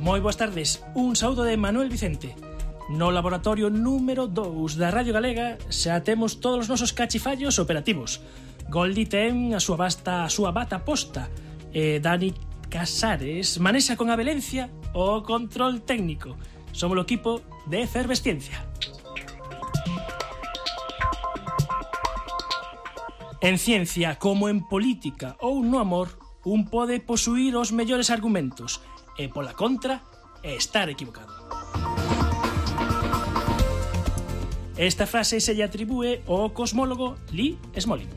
Moi boas tardes, un saúdo de Manuel Vicente. No laboratorio número 2 da Radio Galega xa temos todos os nosos cachifallos operativos. Goldi ten a súa bata posta e Dani Casares manexa con avelencia o control técnico. Somos o equipo de Efervesciencia. En ciencia, como en política ou no amor, un pode posuir os mellores argumentos e, pola contra, estar equivocado. Esta frase se lle atribúe ao cosmólogo Lee Smolin.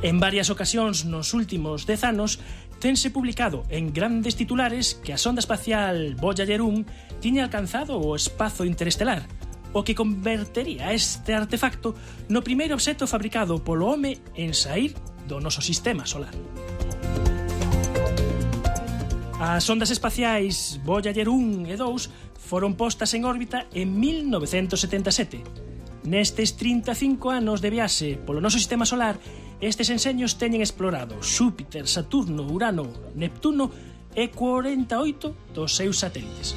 En varias ocasións nos últimos 10 anos tense publicado en grandes titulares que a sonda espacial Voyager 1 tiña alcanzado o espazo interestelar, o que convertería este artefacto no primeiro obxecto fabricado polo home en saír do noso sistema solar. As ondas espaciais Voyager 1 e 2 foron postas en órbita en 1977. Nestes 35 anos de viaxe polo noso sistema solar, estes enseños teñen explorado Xúpiter, Saturno, Urano, Neptuno e 48 dos seus satélites.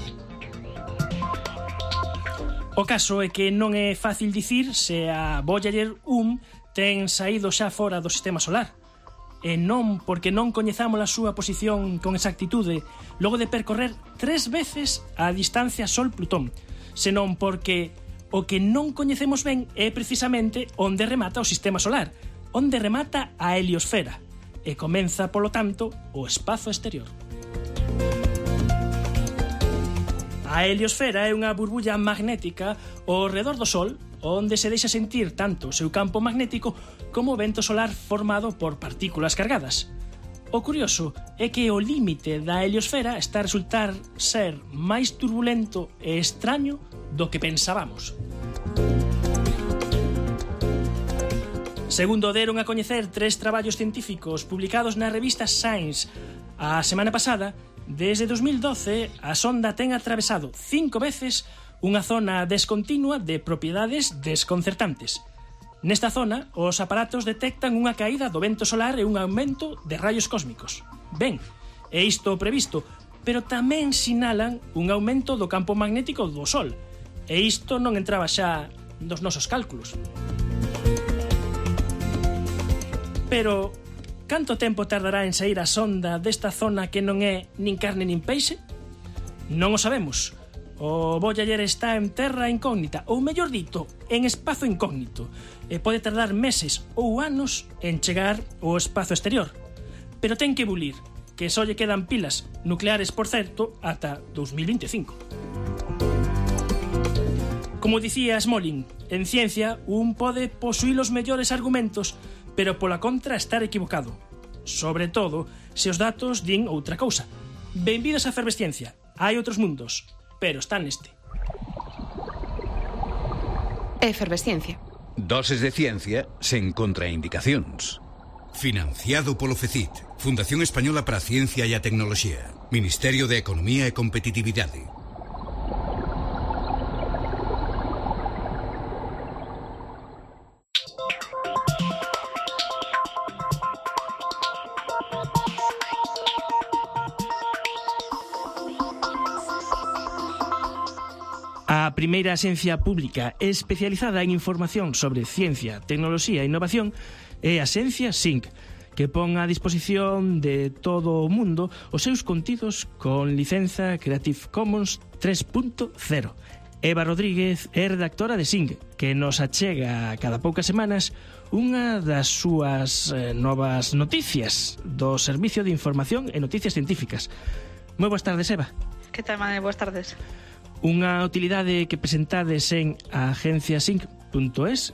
O caso é que non é fácil dicir se a Voyager 1 ten saído xa fora do sistema solar, e non porque non coñezamos a súa posición con exactitude logo de percorrer 3 veces a distancia Sol-Plutón, senón porque o que non coñecemos ben é precisamente onde remata o sistema solar, onde remata a heliosfera, e comeza, polo tanto, o espazo exterior. A heliosfera é unha burbulla magnética ao redor do Sol, onde se deixa sentir tanto o seu campo magnético como o vento solar formado por partículas cargadas. O curioso é que o límite da heliosfera está a resultar ser máis turbulento e extraño do que pensábamos. Segundo deron a coñecer 3 traballos científicos publicados na revista Science a semana pasada, desde 2012 a sonda ten atravesado 5 veces unha zona descontinua de propiedades desconcertantes. Nesta zona, os aparatos detectan unha caída do vento solar e un aumento de raios cósmicos. Ben, é isto previsto, pero tamén sinalan un aumento do campo magnético do Sol, e isto non entraba xa nos nosos cálculos. Pero, canto tempo tardará en sair a sonda desta zona que non é nin carne nin peixe? Non o sabemos. O Voyager está en terra incógnita, ou mellor dito, en espazo incógnito, e pode tardar meses ou anos en chegar ao espazo exterior. Pero ten que bulir, que só lle quedan pilas nucleares, por certo, ata 2025. Como dicía Smolin, en ciencia un pode posuir os mellores argumentos, pero pola contra estar equivocado. Sobre todo, se os datos din outra cousa. Benvidos a Efervesciencia. Hai outros mundos, pero está neste. Efervesciencia. Doses de ciencia sen contraindicacións. Financiado polo FECIT, Fundación Española para a Ciencia e a Tecnoloxía, Ministerio de Economía e Competitividade. A primeira axencia pública especializada en información sobre ciencia, tecnoloxía e innovación é a axencia SINC, que pon a disposición de todo o mundo os seus contidos con licenza Creative Commons 3.0. Eva Rodríguez é redactora de SINC, que nos achega cada poucas semanas unha das súas novas noticias do Servicio de Información e Noticias Científicas. Moi boas tardes, Eva. Que tal, Mane? Boas tardes. Unha utilidade que presentades en agenciasync.es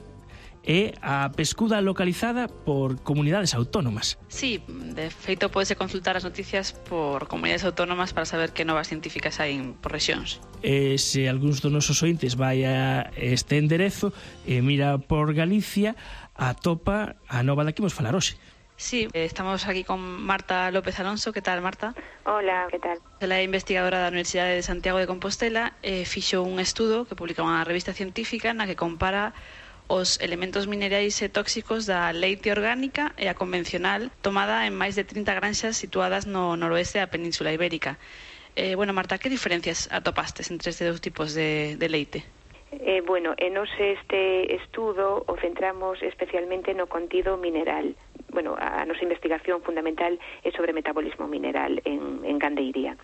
é a pescuda localizada por comunidades autónomas. Sí, de feito podese consultar as noticias por comunidades autónomas para saber que novas científicas hai por rexións. E se algúns dos nosos ointes vai a este enderezo e mira por Galicia, atopa a nova da que vos falar hoxe. Sí, estamos aquí con Marta López Alonso. Que tal, Marta? Hola, que tal? Ela é investigadora da Universidade de Santiago de Compostela e fixo un estudo que publica unha revista científica na que compara os elementos minerais e tóxicos da leite orgánica e a convencional tomada en máis de 30 granxas situadas no noroeste da Península Ibérica. Bueno, Marta, que diferencias atopastes entre estes dous tipos de leite? Nos este estudo o centramos especialmente no contido mineral. A nosa investigación fundamental é sobre metabolismo mineral en gandeiría.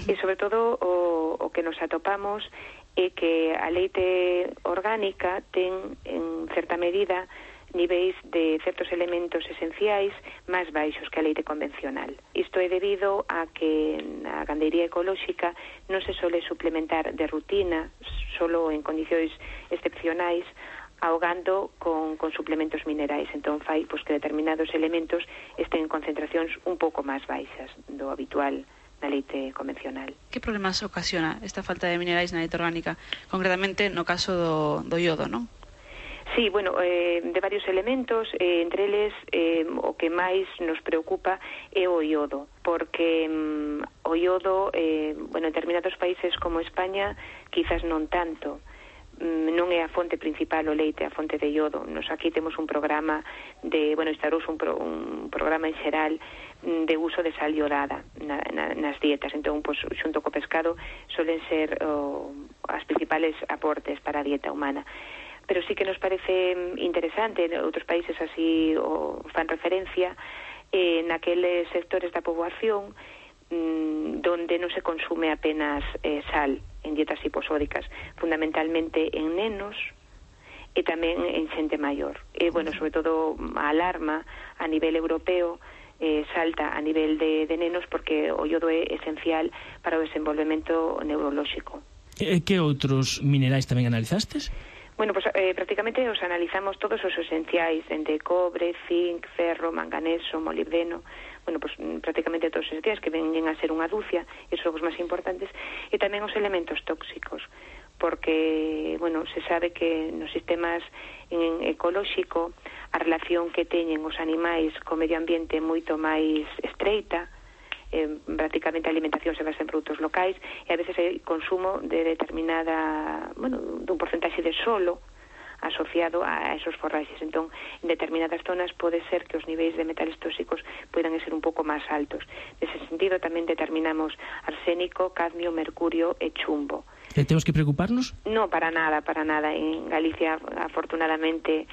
E sobre todo o que nos atopamos é que a leite orgánica ten en certa medida niveis de certos elementos esenciais máis baixos que a leite convencional. Isto é debido a que na gandeiría ecolóxica non se sole suplementar de rutina, solo en condicións excepcionais, ahogando con suplementos minerais. Entón fai que determinados elementos estén en concentracións un pouco máis baixas do habitual na leite convencional. Que problemas ocasiona esta falta de minerais na leite orgánica? Concretamente no caso do iodo, non? Sí, de varios elementos, entre eles o que máis nos preocupa é o iodo, porque o iodo, en determinados países como España, quizás non tanto, non é a fonte principal o leite, a fonte de iodo. Nos aquí temos un programa instaurouse un programa en xeral de uso de sal iodada nas dietas. Entón, xunto co pescado, solen ser as principales aportes para a dieta humana. Pero sí que nos parece interesante, outros países así fan referencia, naqueles sectores da poboación donde non se consume apenas sal en dietas hiposódicas, fundamentalmente en nenos e tamén en xente maior. Sobre todo a alarma a nivel europeo salta a nivel de nenos porque o iodo é esencial para o desenvolvemento neurolóxico. Que outros minerais tamén analizastes? Prácticamente os analizamos todos os esenciais, dende cobre, zinc, ferro, manganeso, molibdeno, prácticamente todos os esenciais que venen a ser unha dúcia, e son os máis importantes, e tamén os elementos tóxicos, porque, se sabe que nos sistemas ecolóxico a relación que teñen os animais co medio ambiente é moito máis estreita, prácticamente a alimentación se basa en produtos locais e a veces hai consumo de determinada, dun porcentaxe de solo asociado a esos forraxes. Entón, en determinadas zonas pode ser que os niveis de metales tóxicos poidan ser un pouco máis altos. Nese sentido, tamén determinamos arsénico, cadmio, mercurio e chumbo. Temos que preocuparnos? No, para nada. En Galicia, afortunadamente,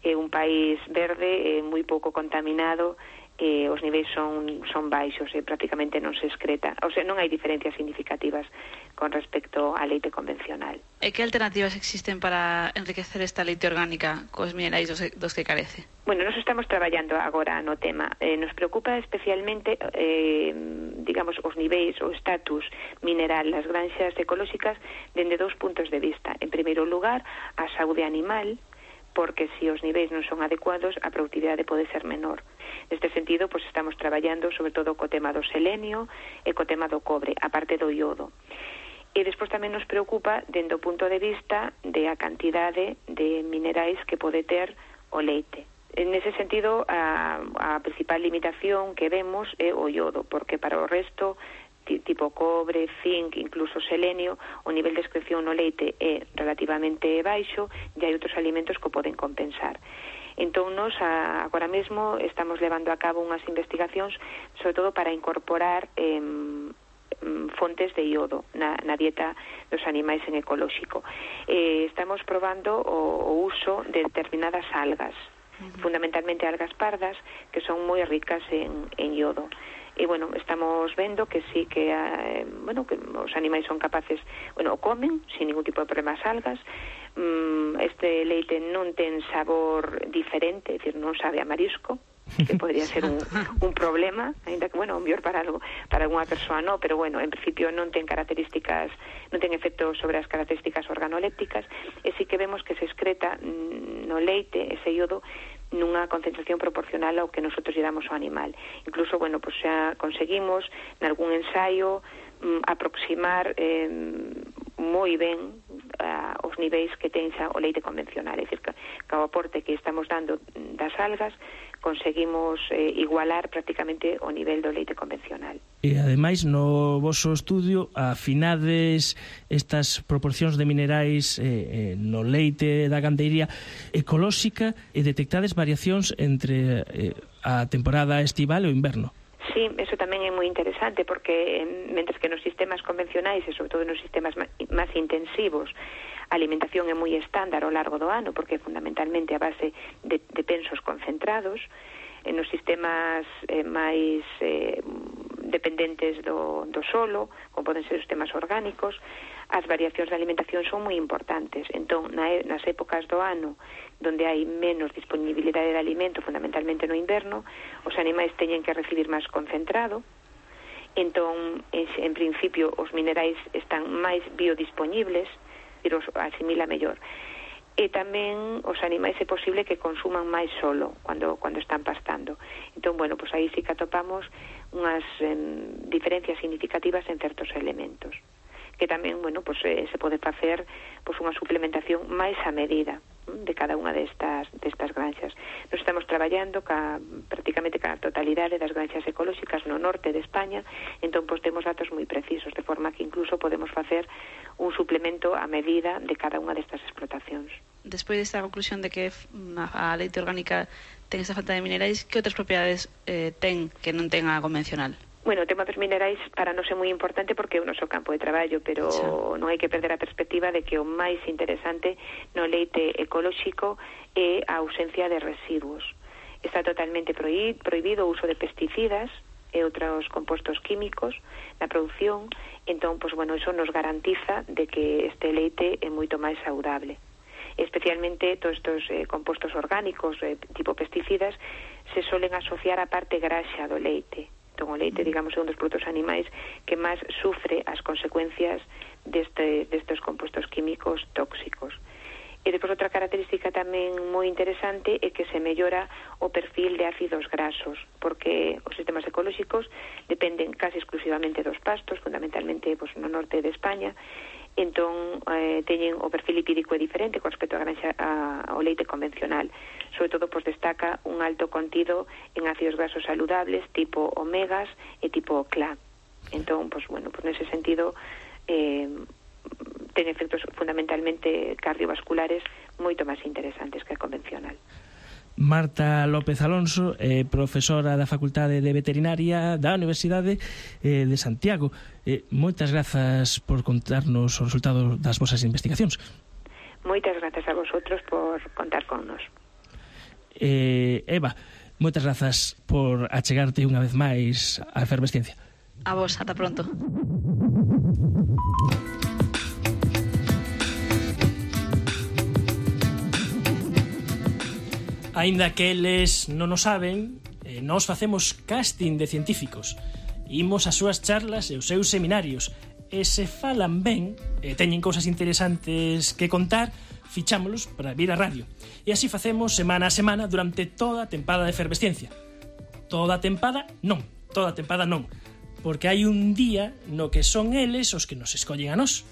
é un país verde, moi pouco contaminado, os niveis son baixos e prácticamente non se excreta, non hai diferencias significativas con respecto á leite convencional. E que alternativas existen para enriquecer esta leite orgánica cos minerais dos que carece? Nos estamos traballando agora no tema. Nos preocupa especialmente os niveis, o estatus mineral das granxas ecolóxicas dende dous puntos de vista. En primeiro lugar, a saúde animal, porque se os niveis non son adecuados, a productividade pode ser menor. Neste sentido, estamos traballando sobre todo co tema do selenio e co tema do cobre, aparte do iodo. E despois tamén nos preocupa dende o punto de vista de a cantidade de minerais que pode ter o leite. Nese sentido, a principal limitación que vemos é o iodo, porque para o resto, tipo cobre, zinc, incluso selenio, o nivel de excreción no leite é relativamente baixo e hai outros alimentos que o poden compensar. Entón, nos agora mesmo estamos levando a cabo unhas investigacións sobre todo para incorporar fontes de iodo na dieta dos animais en ecolóxico. Estamos probando o uso de determinadas algas, fundamentalmente algas pardas, que son moi ricas en iodo. E, estamos vendo que sí que que os animais son capaces, comen sin ningún tipo de problema as algas. Este leite non ten sabor diferente, é dicir, non sabe a marisco, que podría ser un problema, ainda que, mellor para algunha persoa non, pero, en principio non ten características, non ten efecto sobre as características organolépticas, e sí que vemos que se excreta no leite ese iodo nunha concentración proporcional ao que nosotros lle damos ao animal. Incluso, xa conseguimos, nalgún ensaio, aproximar moi ben os niveis que ten xa o leite convencional, é dicir, que o aporte que estamos dando das algas conseguimos igualar prácticamente o nivel do leite convencional. E ademais no voso estudio afinades estas proporcións de minerais no leite da gandeiría ecolóxica e detectades variacións entre a temporada estival e o inverno. Sí, eso tamén é moi interesante porque mentres que nos sistemas convencionais e sobre todo nos sistemas máis intensivos a alimentación é moi estándar ao largo do ano porque fundamentalmente a base de pensos concentrados, nos sistemas máis dependentes do solo, como poden ser os sistemas orgánicos, as variacións de alimentación son moi importantes. Entón, nas épocas do ano donde hai menos disponibilidade de alimento, fundamentalmente no inverno, os animais teñen que recibir máis concentrado, entón, en principio, os minerais están máis biodisponibles, pero os asimila mellor. E tamén os animais é posible que consuman máis solo cando están pastando. Entón, bueno, pues aí sí que atopamos unhas diferencias significativas en certos elementos que tamén, bueno, pues se pode facer pues unha suplementación máis a medida de cada unha destas granxas. Nos estamos traballando prácticamente ca totalidade das granxas ecolóxicas no norte de España, entón pues temos datos moi precisos, de forma que incluso podemos facer un suplemento a medida de cada unha destas explotacións. Despois desta conclusión de que a leite orgánica ten esa falta de minerais, que outras propiedades ten que non ten a convencional? Bueno, o tema dos minerais para nós é moi importante porque é o noso campo de traballo, pero non hai que perder a perspectiva de que o máis interesante no leite ecolóxico é a ausencia de residuos. Está totalmente prohibido o uso de pesticidas e outros compostos químicos na produción, entón, pues, bueno, eso nos garantiza de que este leite é moito máis saudable. Especialmente todos estos compostos orgánicos tipo pesticidas se solen asociar á parte graxa do leite. Entón, o leite, digamos, é un dos produtos animais que máis sufre as consecuencias destes compostos químicos tóxicos. E depois outra característica tamén moi interesante é que se mellora o perfil de ácidos grasos, porque os sistemas ecolóxicos dependen casi exclusivamente dos pastos, fundamentalmente pues, no norte de España, entón teñen o perfil lipídico é diferente con respecto ao leite convencional. Sobre todo, pues, destaca un alto contido en ácidos grasos saludables tipo omegas e tipo CLA. Entón, pues, bueno, pues nese sentido ten efectos fundamentalmente cardiovasculares moito máis interesantes que a convencional. Marta López Alonso, profesora da Facultade de Veterinaria da Universidade de Santiago. Moitas grazas por contarnos o resultado das vosas investigacións. Moitas grazas a vosotros por contar con nos. Eva, moitas grazas por achegarte unha vez máis á Efervesciencia. A vos, ata pronto. Aínda que eles non o saben, nós facemos casting de científicos. Imos ás súas charlas e os seus seminarios. E se falan ben, e teñen cousas interesantes que contar, fichámolos para vir á radio. E así facemos semana a semana durante toda a tempada de Efervesciencia. Toda a tempada non, porque hai un día no que son eles os que nos escollen a nós.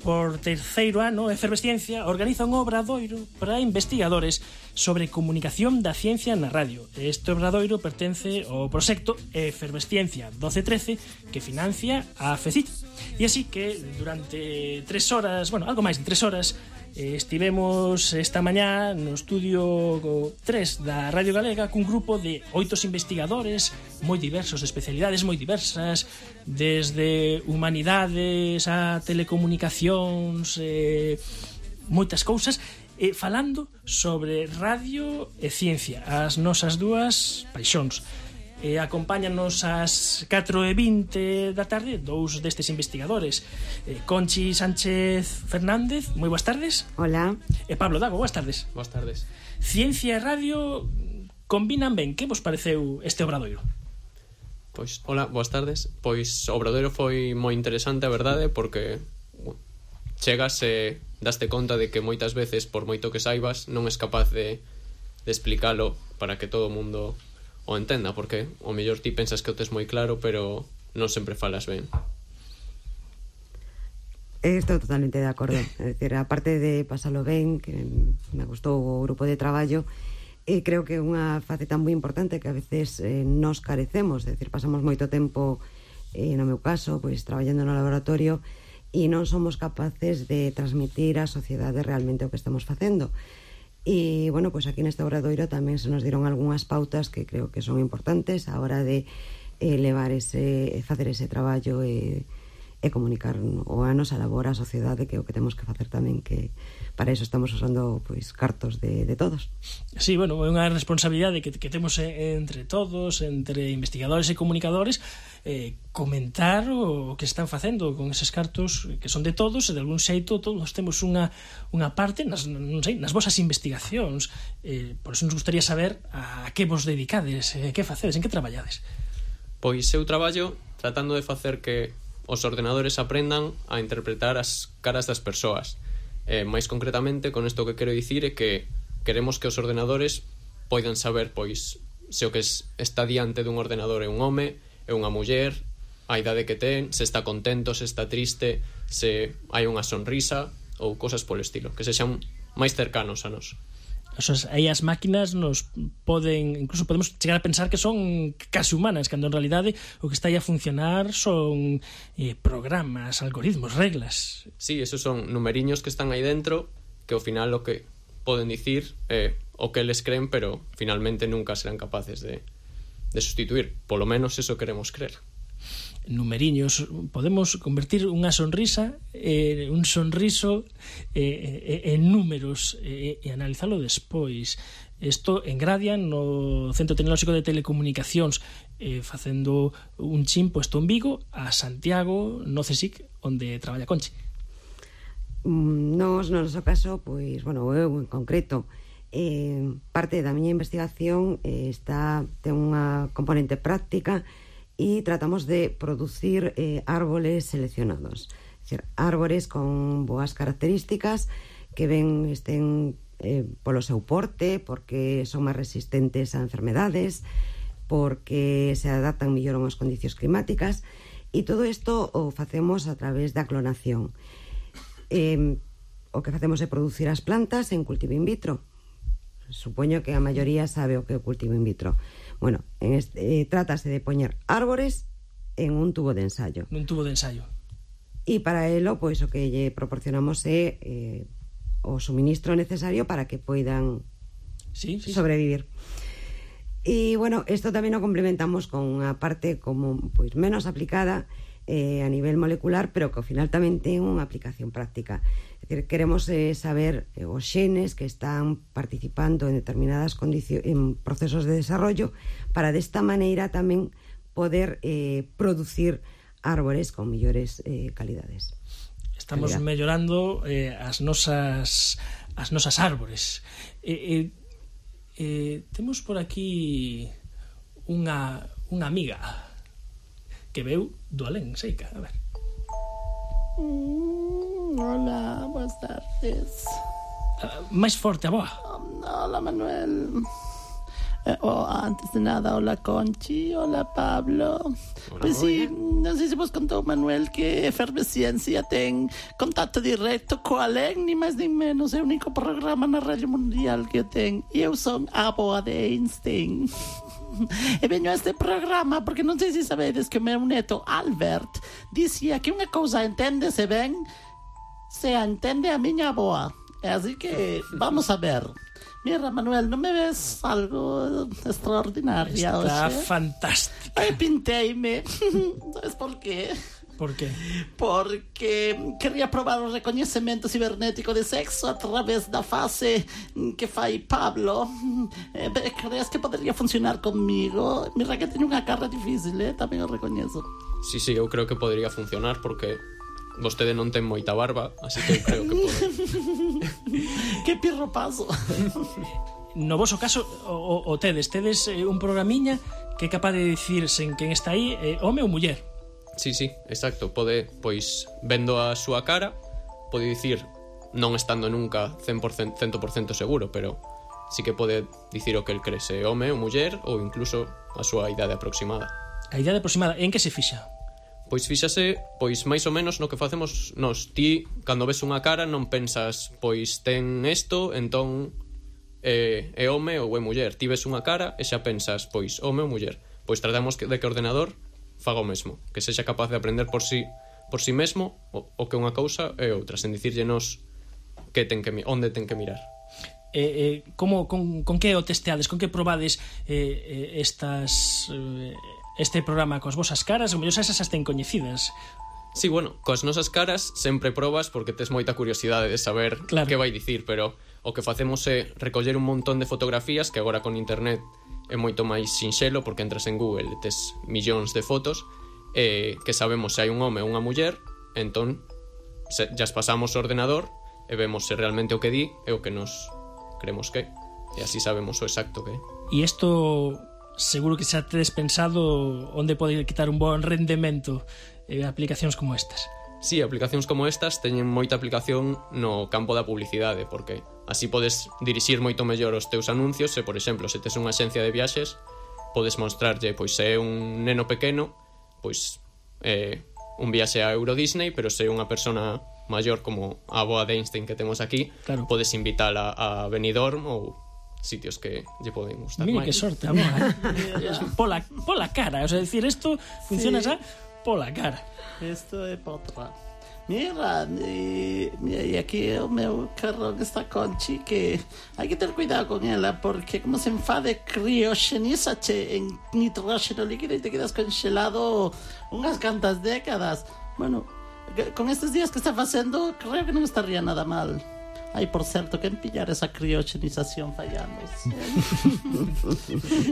Por terceiro ano, Efervesciencia organiza un obradoiro para investigadores sobre comunicación da ciencia na radio. Este obradoiro pertence ao proxecto Efervesciencia 1213 que financia a FECIT. E así que durante 3 horas, algo máis de 3 horas, estivemos esta mañá no estudio 3 da Radio Galega cun grupo de 8 investigadores moi diversos, de especialidades moi diversas, desde humanidades a telecomunicacións, moitas cousas, falando sobre radio e ciencia, as nosas dúas paixóns. Acompáñanos ás 4:20 da tarde dous destes investigadores, Conchi Sánchez Fernández, moi boas tardes. Hola. E Pablo Dago, boas tardes. Boas tardes. Ciencia e radio combinan ben. Que vos pareceu este obradoiro? Pois, hola, boas tardes. Pois o obradoiro foi moi interesante, a verdade, porque chegas e daste conta de que moitas veces, por moito que saibas, non és capaz de explicalo para que todo o mundo o entenda, porque o mellor ti pensas que o tes moi claro, pero non sempre falas ben. Estou totalmente de acordo. É dicir, aparte de pasalo ben, que me gustou o grupo de traballo, E creo que é unha faceta moi importante que a veces nos carecemos, é dicir, pasamos moito tempo, no meu caso, pois traballando no laboratorio e non somos capaces de transmitir á sociedade realmente o que estamos facendo. E, bueno, pois aquí neste obradoiro tamén se nos dieron algunhas pautas que creo que son importantes a hora de facer ese traballo e comunicar o a nosa labor á sociedade, que é o que temos que facer tamén, que para iso estamos usando pois cartos de todos. Sí, bueno, é unha responsabilidade que temos entre todos, entre investigadores e comunicadores, comentar o que están facendo con eses cartos que son de todos, e de algún xeito todos temos unha parte nas vosas investigacións. Por iso nos gustaría saber a que vos dedicades, que facedes, en que traballades. Pois eu traballo tratando de facer que os ordenadores aprendan a interpretar as caras das persoas. Mais concretamente, con isto que quero dicir é que queremos que os ordenadores poidan saber, pois, se o que está diante dun ordenador é un home, é unha muller, a idade que ten, se está contento, se está triste, se hai unha sonrisa ou cosas polo estilo, que sexan máis cercanos a nós. Aí as máquinas nos poden, incluso podemos chegar a pensar que son casi humanas, cando en realidade o que está aí a funcionar son programas, algoritmos, reglas. Sí, esos son numeriños que están aí dentro, que ao final o que poden dicir é o que eles creen, pero finalmente nunca serán capaces de sustituir. Polo menos eso queremos creer. Numeriños, podemos convertir unha sonrisa, un sonriso en números e analizalo despois. Isto en Gradia, no Centro Tecnolóxico de Telecomunicacións, facendo un chip posto en Vigo, a Santiago, no CSIC, onde traballa Conchi. Nos, no noso caso, pois, bueno, eu en concreto, parte da miña investigación ten unha componente práctica e tratamos de producir árboles seleccionados, é dicir, árboles con boas características que estén polo seu porte, porque son máis resistentes a enfermedades, porque se adaptan mellor a unhas condicións climáticas, e todo isto o facemos a través da clonación. O que facemos é producir as plantas en cultivo in vitro. Supoño que a maioría sabe o que é o cultivo in vitro. Bueno, trátase de poñer árbores en un tubo de ensayo. Nun tubo de ensayo. E para elo, pois, o que lle proporcionamos é o suministro necesario para que poidan sobrevivir. E, bueno, isto tamén o complementamos con unha parte como pois menos aplicada a nivel molecular, pero que ao final tamén ten unha aplicación práctica. É dicir, queremos saber os xenes que están participando en determinadas en procesos de desarrollo para desta maneira tamén poder producir árbores con mellores calidades. Estamos mellorando as nosas árbores. Temos por aquí unha amiga que veu do alén, Seica, a ver. Hola, buenas tardes. Máis forte a voz. Hola, Manuel. Antes de nada, hola, Conchi. Hola, Pablo. Hola, pues sí, non sei se vos contou, Manuel, que Efervesciencia ten contacto directo co alén, ni máis ni menos, é o único programa na radio mundial que ten. E eu son a boa de Einstein. E veño a este programa porque non sei se sabedes que o meu neto Albert dicía que unha cousa enténdese ben se a entende a miña aboa. Así que vamos a ver. Mira, Manuel, non me ves algo extraordinaria hoxe? Está fantástica. Ai, pinteime. Sabes por qué? Por qué? Porque quería probar o recoñecemento cibernético de sexo a través da fase que fai Pablo. Crees que podría funcionar conmigo? Mira que teño unha cara difícil, tamén o recoñezo. Sí, eu creo que podría funcionar porque vostede non ten moita barba, así que eu creo que pode. Que pirro paso. No voso caso, o tedes un programiña que é capaz de dicir sen quen está aí, home ou muller. Sí, exacto, pode, pois, vendo a súa cara, pode dicir, non estando nunca 100% seguro, pero sí que pode dicir o que el cree, se home ou muller, ou incluso a súa idade aproximada. A idade aproximada, en que se fixa? Pois fíxase, pois máis ou menos no que facemos nós. Ti, cando ves unha cara, non pensas, pois ten isto, entón é home ou é muller. Ti ves unha cara e xa pensas, pois, home ou muller. Pois tratamos de que o ordenador faga o mesmo, que sexa capaz de aprender por si mesmo o que unha cousa é outra, sen dicirllenos onde ten que mirar. Con que o testeades, con que probades este programa coas vosas caras? O mellor esas ten coñecidas. Sí, bueno, coas nosas caras sempre probas porque tes moita curiosidade de saber que vai dicir, pero o que facemos é recoller un montón de fotografías que agora con internet é moito máis sinxelo porque entras en Google e tes millóns de fotos que sabemos se hai un home ou unha muller, entón ya as pasamos ao ordenador e vemos se realmente o que di é o que nos creemos que e así sabemos o exacto que é. E isto seguro que xa tedes pensado onde pode quitar un bon rendemento aplicacións como estas. Sí, aplicacións como estas teñen moita aplicación no campo da publicidade porque así podes dirixir moito mellor os teus anuncios e, por exemplo, se tes unha axencia de viaxes podes mostrarlle, pois se é un neno pequeno pois un viaxe a Euro Disney, pero se é unha persona maior como a avoa de Einstein que temos aquí, podes invitala a Benidorm ou sitios que lle poden gustar máis. Mira que sorte, aboa. Pola cara, o sea, decir, isto funciona xa pola cara. Isto é potra. Mira, e aquí o meu carrón está Conchi, que hai que ter cuidado con ela porque como se enfade crioxenízache en nitróxeno líquido e te quedas congelado unhas cantas décadas. Bueno, con estes días que está facendo creo que non estaría nada mal. Ai, por certo, quen pillar esa crioxenización fallando?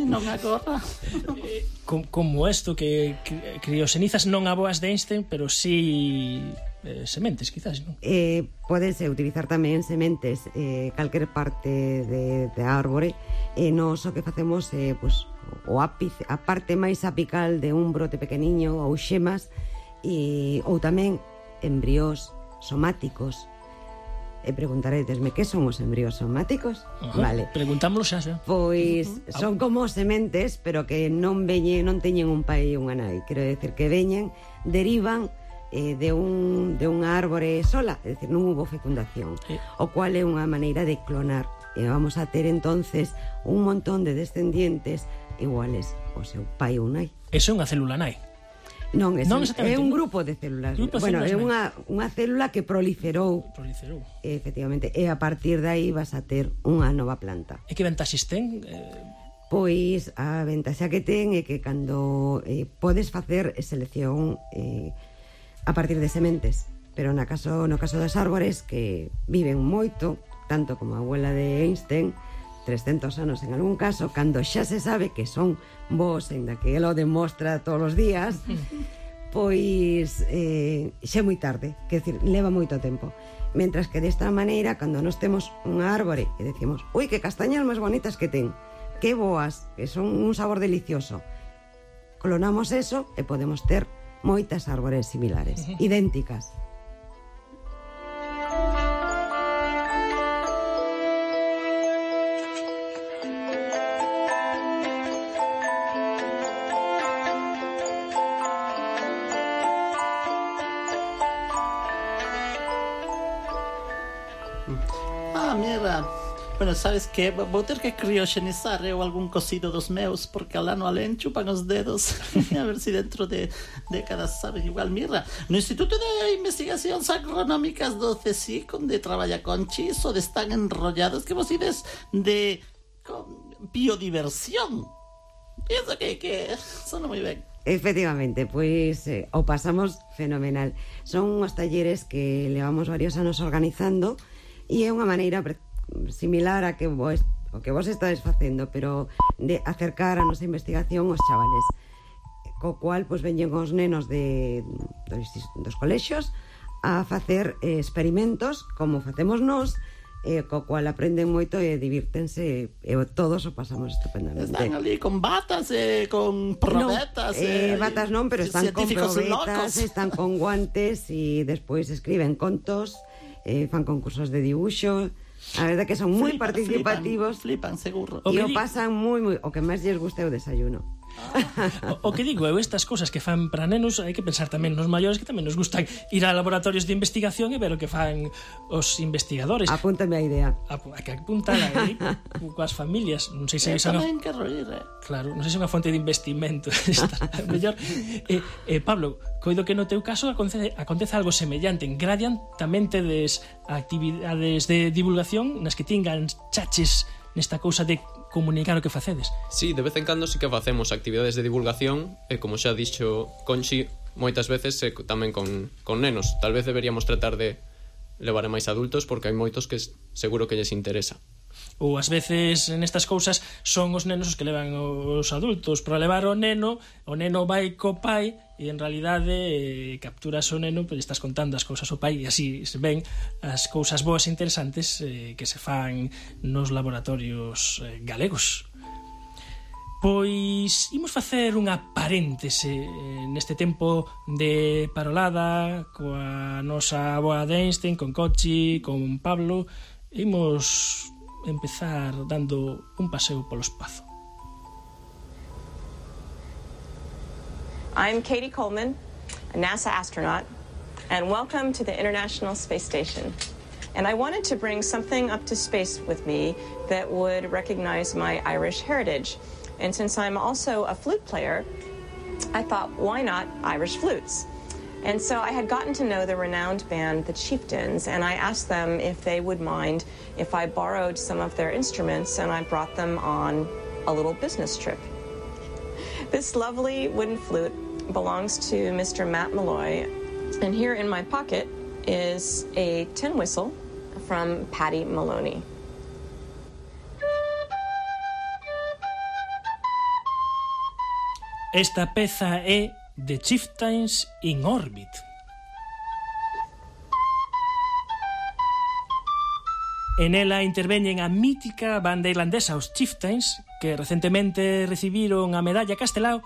Non agora. Como isto que crioxenizas non a boas de Einstein, pero sí sementes, quizás, non? Pódense utilizar tamén sementes calquer parte de árbore. Nos o que facemos é o ápice, a parte máis apical de un brote pequeniño ou xemas ou tamén embriós somáticos. E preguntaretesme que son os embriós somáticos? Vale. Preguntámoslo xa. Pois son como sementes, pero que non teñen un pai e unha nai. Quero decir que derivan de unha árbore sola, é dicir, non hubo fecundación, o cual é unha maneira de clonar. E vamos a ter entonces un montón de descendientes iguales ao seu pai ou nai. Eso é unha célula nai? Non, é un grupo de células. Bueno, é unha célula que proliferou. Efectivamente, e a partir de aí vas a ter unha nova planta. E que ventaxes ten? Pois a ventaxa que ten é que cando podes facer selección a partir de sementes, pero no caso das árbores que viven moito, tanto como a abuela de Einstein, 300 anos en algún caso, cando xa se sabe que son vos, ainda que ela o demostra todos os días, pois xa é moi tarde, quer decir, leva moito tempo. Mentras que desta maneira, cando nos temos unha árbore e decimos, ui, que castañas máis bonitas que ten, que boas, que son un sabor delicioso, clonamos eso e podemos ter moitas árbores similares, idénticas. Mira, bueno, sabes que vou ter que crioxenizar eu algún cocido dos meus porque alá no alén chupan os dedos a ver si dentro de décadas saben igual. Mira, no Instituto de Investigacións Agronómicas do CSIC onde traballa Conchi só están enrollados que vos ides de biodiversión. Pienso que sona moi ben. Efectivamente, pois o pasamos fenomenal. Son uns talleres que levamos varios anos organizando e é unha maneira similar a o que vos estades facendo, pero de acercar a nosa investigación aos chavales, co cual pois veñen os nenos dos colexios a facer experimentos como facemos nós, co cual aprenden moito e divírtense e todos o pasamos estupendamente. Están ali con batas con probetas. Batas non, pero están con probetas, están con guantes e despois escriben contos, fan concursos de dibuixo. A verdade que son moi participativos. Flipan, seguro. E o pasan moi, o que máis lles gusta é o desayuno. O que digo, estas cousas que fan para nenos, hai que pensar tamén nos maiores, que tamén nos gustan ir a laboratorios de investigación e ver o que fan os investigadores. Apúntame a idea. Hai que apuntala aí coas familias. Non sei se é claro, non sei se é unha fonte de investimento. Mellor. Pablo, coido que no teu caso acontece algo semellante. En Gradiant tamén tedes actividades de divulgación nas que tingan chaches nesta cousa de comunicar o que facedes. Sí, de vez en cando sí que facemos actividades de divulgación e, como xa dixo Conchi, moitas veces tamén con nenos. Tal vez deberíamos tratar de levar a máis adultos porque hai moitos que seguro que lles interesa. Ou ás veces nestas cousas son os nenos os que levan os adultos para levar o neno vai co pai e en realidade capturas o neno, pois estás contando as cousas ao pai e así se ven as cousas boas e interesantes que se fan nos laboratorios galegos. Pois imos facer unha paréntese neste tempo de parolada coa nosa aboa de Einstein, con Conchi, con Pablo. Imos empezar dando un paseo polo espazo. I'm Katie Coleman, a NASA astronaut, and welcome to the International Space Station. And I wanted to bring something up to space with me that would recognize my Irish heritage. And since I'm also a flute player, I thought, why not Irish flutes? And so I had gotten to know the renowned band, the Chieftains, and I asked them if they would mind if I borrowed some of their instruments and I brought them on a little business trip. This lovely wooden flute belongs to Mr. Matt Malloy, and here in my pocket is a tin whistle from Patty Maloney. Esta peza é The Chieftains in Orbit. En ela interveñen a mítica banda irlandesa os Chieftains, que recentemente recibiron a medalla Castelao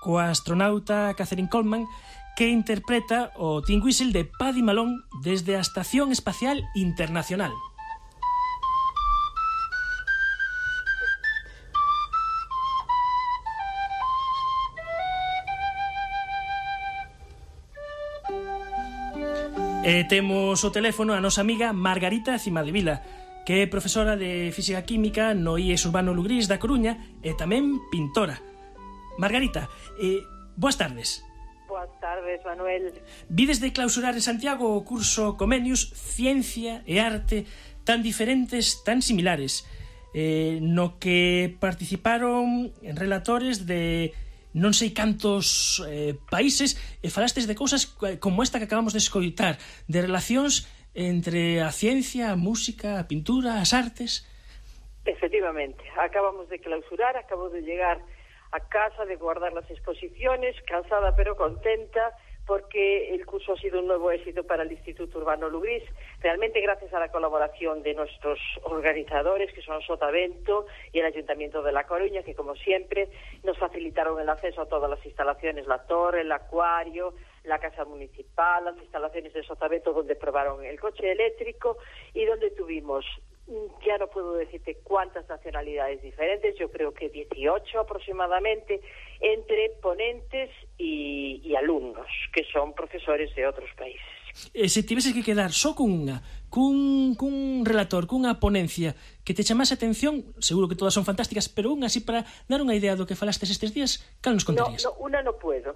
coa astronauta Catherine Coleman, que interpreta o tin whistle de Paddy Malone desde a Estación Espacial Internacional. Temos o teléfono a nosa amiga Margarita Cimadevila, que é profesora de Física Química no IES Urbano Lugrís da Coruña e tamén pintora. Margarita, boas tardes. Boas tardes, Manuel. Vides de clausurar en Santiago o curso Comenius Ciencia e Arte, tan diferentes, tan similares, no que participaron en relatores de non sei cantos países e falastes de cousas como esta que acabamos de escoitar, de relacións entre a ciencia, a música, a pintura, as artes. Efectivamente, acabamos de clausurar, acabo de llegar a casa, de guardar las exposiciones, cansada pero contenta, porque el curso ha sido un nuevo éxito para el Instituto Urbano Lugrís, realmente gracias a la colaboración de nuestros organizadores, que son Sotavento y el Ayuntamiento de La Coruña, que como siempre nos facilitaron el acceso a todas las instalaciones, la torre, el acuario, la casa municipal, las instalaciones de Sotavento donde probaron el coche eléctrico y donde tuvimos, ya no puedo decirte cuántas nacionalidades diferentes, yo creo que 18 aproximadamente, entre ponentes y alumnos, que son profesores de otros países. Se tiveses que quedar só cun relator, cunha ponencia que te chamase a atención, seguro que todas son fantásticas, pero unha así para dar unha idea do que falastes estes días, cal nos contarías? Una no puedo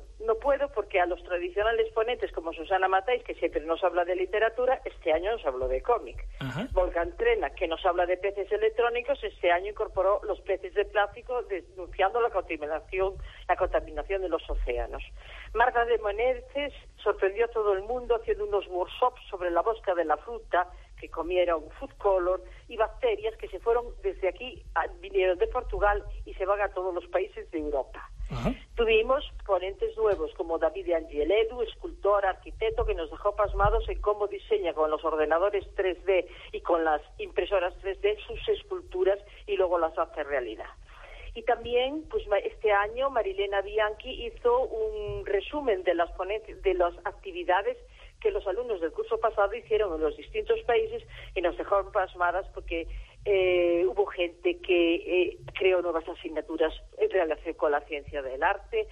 porque a los tradicionales ponentes como Susana Matáis, que siempre nos habla de literatura, este año nos habló de cómic. Volcán Trena, que nos habla de peces electrónicos, este año incorporó los peces de plástico, denunciando la contaminación de los océanos. Marta de Menezes sorprendió a todo el mundo haciendo unos workshops sobre la bosca de la fruta, que comieron food color y bacterias que se fueron desde aquí, vinieron de Portugal y se van a todos los países de Europa. Tuvimos ponentes nuevos como David Angeledu, escultor, arquitecto, que nos dejó pasmados en cómo diseña con los ordenadores 3D y con las impresoras 3D sus esculturas y luego las hace realidad. Y también, pues este año, Marilena Bianchi hizo un resumen de las actividades que los alumnos del curso pasado hicieron en los distintos países y nos dejaron pasmadas porque hubo gente que creó nuevas asignaturas en relación con la ciencia del arte,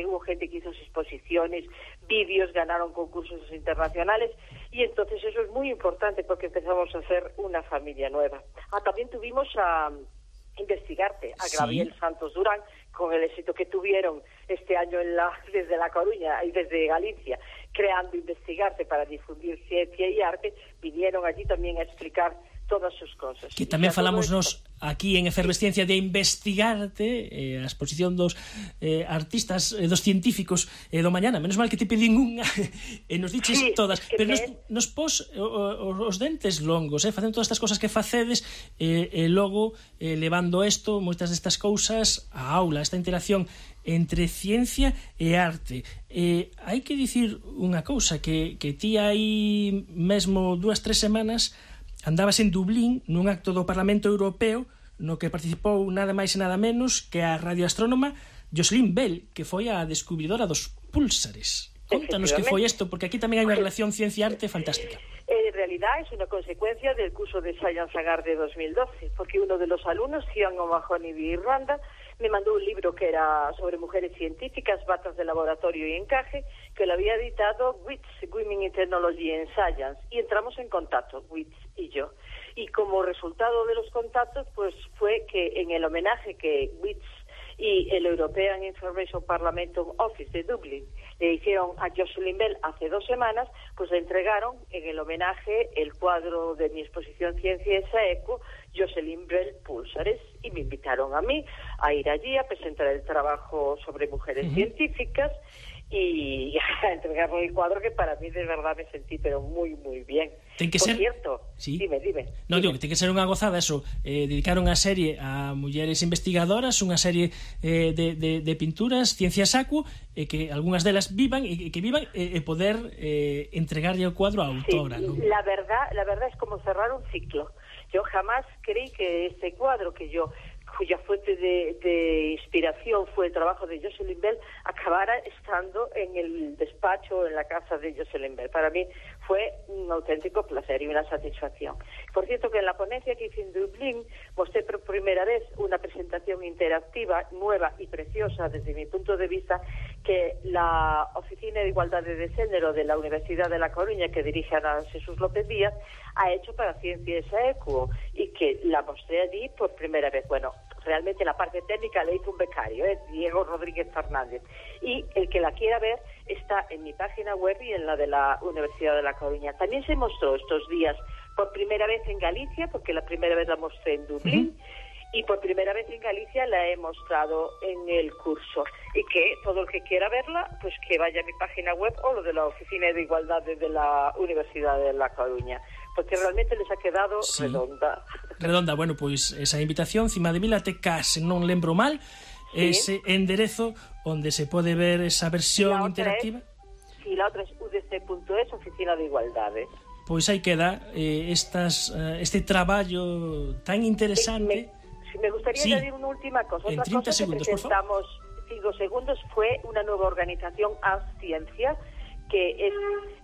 hubo gente que hizo exposiciones, vídeos, ganaron concursos internacionales, y entonces eso es muy importante porque empezamos a hacer una familia nueva. También tuvimos a Investigarte, a Gabriel Santos Durán, con el éxito que tuvieron este año desde La Coruña y desde Galicia, creando Investigarte para difundir ciencia y arte, vinieron allí también a explicar todas sus cosas. Que tamén falamos nos aquí en Efervesciencia de Investigarte, a exposición dos artistas, dos científicos do mañana. Menos mal que te pedín unha e nos diches todas, pero nos pos os dentes longos, facendo todas estas cosas que facedes, e logo levando isto, moitas destas cousas á aula, esta interacción entre ciencia e arte. Hai que dicir unha cousa, que ti hai mesmo 2-3 semanas andabas en Dublín nun acto do Parlamento Europeo no que participou nada máis e nada menos que a radioastrónoma Jocelyn Bell, que foi a descubridora dos púlsares. Contanos que foi isto, porque aquí tamén hai unha relación ciencia-arte fantástica. En realidad es una consecuencia del curso de Science and Art de 2012, porque uno de los alumnos, Cian O'Mahony de Irlanda, me mandó un libro que era sobre mujeres científicas, batas de laboratorio y encaje, que lo había editado WITS, Women in Technology and Science, y entramos en contacto, WITS y yo. Y como resultado de los contactos, pues fue que en el homenaje que WITS y el European Information Parliament Office de Dublín le hicieron a Jocelyn Bell hace 2 semanas, pues le entregaron en el homenaje el cuadro de mi exposición Ciencia y Eco, Jocelyn Bell Púlsares, y me invitaron a mí a ir allí a presentar el trabajo sobre mujeres científicas y a entregarle el cuadro, que para mí de verdad me sentí pero muy, muy bien. Ten que Por ser... cierto, dime. No, digo que ten que ser unha gozada eso, dedicaron a serie a mulleres investigadoras, unha serie de pinturas, ciencia saco, que algunhas delas vivan e poder entregarlle o cuadro á autora, sí, ¿no? La verdad es como cerrar un ciclo. Yo jamás creí que este cuadro cuya fuente de inspiración fue el trabajo de Jocelyn Bell, acabara estando en el despacho, en la casa de Jocelyn Bell. Para mí fue un auténtico placer y una satisfacción. Por cierto, que en la ponencia que hice en Dublín mostré por primera vez una presentación interactiva, nueva y preciosa desde mi punto de vista, que la Oficina de Igualdad de Género de la Universidad de La Coruña, que dirige Ana Jesús López Díaz, ha hecho para Ciencia y Eco, y que la mostré allí por primera vez. Bueno, realmente la parte técnica le hizo un becario, Diego Rodríguez Fernández, y el que la quiera ver está en mi página web y en la de la Universidad de La Coruña. También se mostró estos días por primera vez en Galicia, porque la primera vez la mostré en Dublín, y por primera vez en Galicia la he mostrado en el curso, y que todo el que quiera verla, pues que vaya a mi página web o lo de la Oficina de Igualdad de la Universidad de La Coruña, porque realmente les ha quedado redonda. Bueno, pois esa invitación, Cima de Vilateca, se non lembro mal, ese enderezo onde se pode ver esa versión interactiva. La otra es udc.es, Oficina de Igualdades. Pois aí queda este traballo tan interesante. Me gustaría añadir una última cosa. En 30 segundos, que presentamos, 5 segundos, fue una nueva organización, Ciencia, que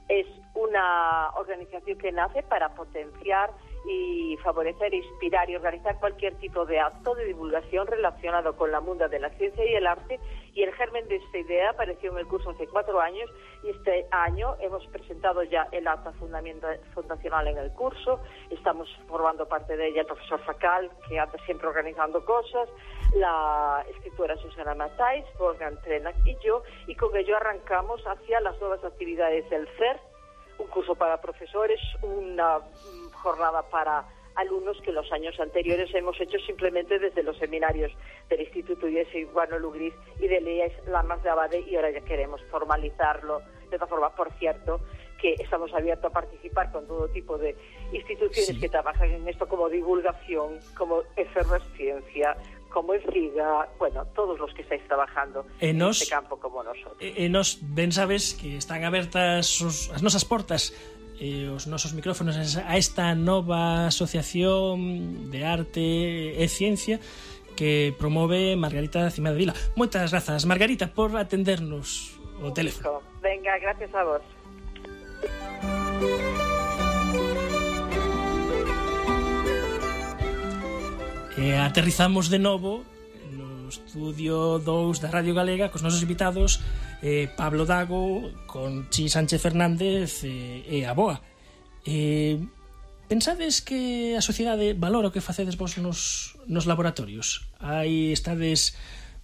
es una organización que nace para potenciar y favorecer, inspirar y organizar cualquier tipo de acto de divulgación relacionado con la mundo de la ciencia y el arte, y el germen de esta idea apareció en el curso hace 4 años, y este año hemos presentado ya el acta fundacional en el curso. Estamos formando parte de ella el profesor Facal, que anda siempre organizando cosas, la escritora Susana Matáis, Wolfgang Trenak y yo, y con ello arrancamos hacia las nuevas actividades del CER, un curso para profesores, una jornada para alumnos que los años anteriores hemos hecho simplemente desde los seminarios del Instituto Iguano Lugris y de Elías Lamas de Abade, y ahora ya queremos formalizarlo de otra forma. Por cierto, que estamos abiertos a participar con todo tipo de instituciones que trabajan en esto, como divulgación, como Efervesciencia, como el FIGA, bueno, todos los que estáis trabajando en este campo como nosotros. Nos ben sabes que están abertas as nosas portas e os nosos micrófonos a esta nova asociación de arte e ciencia que promove Margarita Cima de Vila. Moitas grazas, Margarita, por atendernos o teléfono. Venga, gracias a vos. aterrizamos de novo no estudio 2 da Radio Galega cos nosos invitados Pablo Dago, Conchi Sánchez Fernández e a Boa. Pensades que a sociedade valora o que facedes vos nos laboratorios? Estades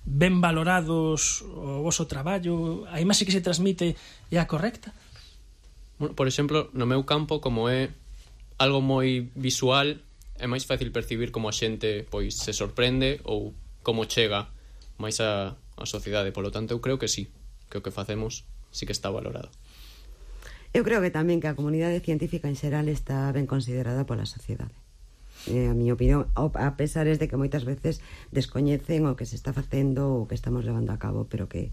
ben valorados o voso traballo? A imaxe que se transmite é a correcta? Bueno, por exemplo, no meu campo, como é algo moi visual, é máis fácil percibir como a xente pois se sorprende ou como chega máis a sociedade. Polo tanto, eu creo que sí, que o que facemos sí que está valorado. Eu creo que tamén que a comunidade científica en xeral está ben considerada pola sociedade. A miña opinión, a pesar de que moitas veces descoñecen o que se está facendo o que estamos levando a cabo, pero que